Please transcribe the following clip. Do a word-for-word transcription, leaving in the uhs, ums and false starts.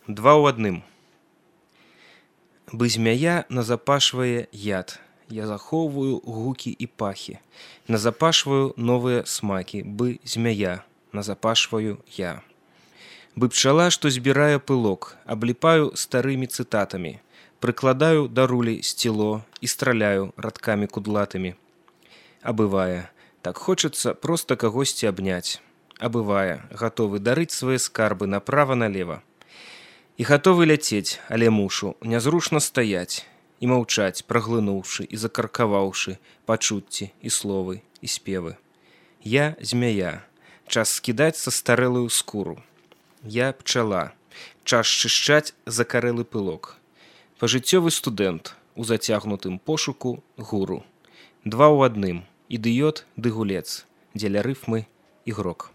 Два ў адным. Бы змяя назапашвае яд. Я захоўваю гукі і пахі. Назапашваю новыя смакі. Бы змяя назапашваю я. Бы пчала, што збірае пылок, абліпаю старымі цытатамі, прыкладаю да рулі сціло і страляю радкамі кудлатымі. А бывае, так хочацца проста кагосьці абняць. А бывае, гатовы дарыць свае скарбы направа-налева. І гатовы ляцець, але мушу нязручна стаяць і маўчаць, праглынуўшы і закаркаваўшы пачуцці і словы і спевы. Я змяя, час скідаць са старэлую скуру. Я пчала, час чышчаць закарэлы пылок. Пажыццёвы студэнт у зацягнутым пошуку гуру. Два ў адным, ідыёт ды гулец, дзеля рыфмы ігрок.